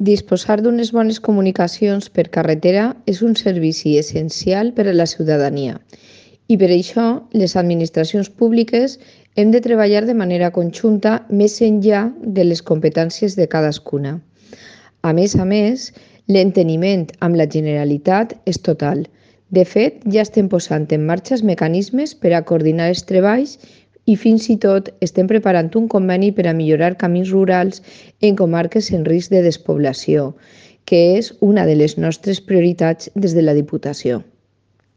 Disposar d'unes bones comunicacions per carretera és un servici essencial per a la ciutadania i per això les administracions públiques hem de treballar de manera conjunta més enllà de les competències de cadascuna. A més, l'enteniment amb la Generalitat és total. De fet, ja estem posant en marxa els mecanismes per a coordinar els treballs i fins i tot estem preparant un conveni per a millorar camins rurals en comarques en risc de despoblació, que és una de les nostres prioritats des de la Diputació.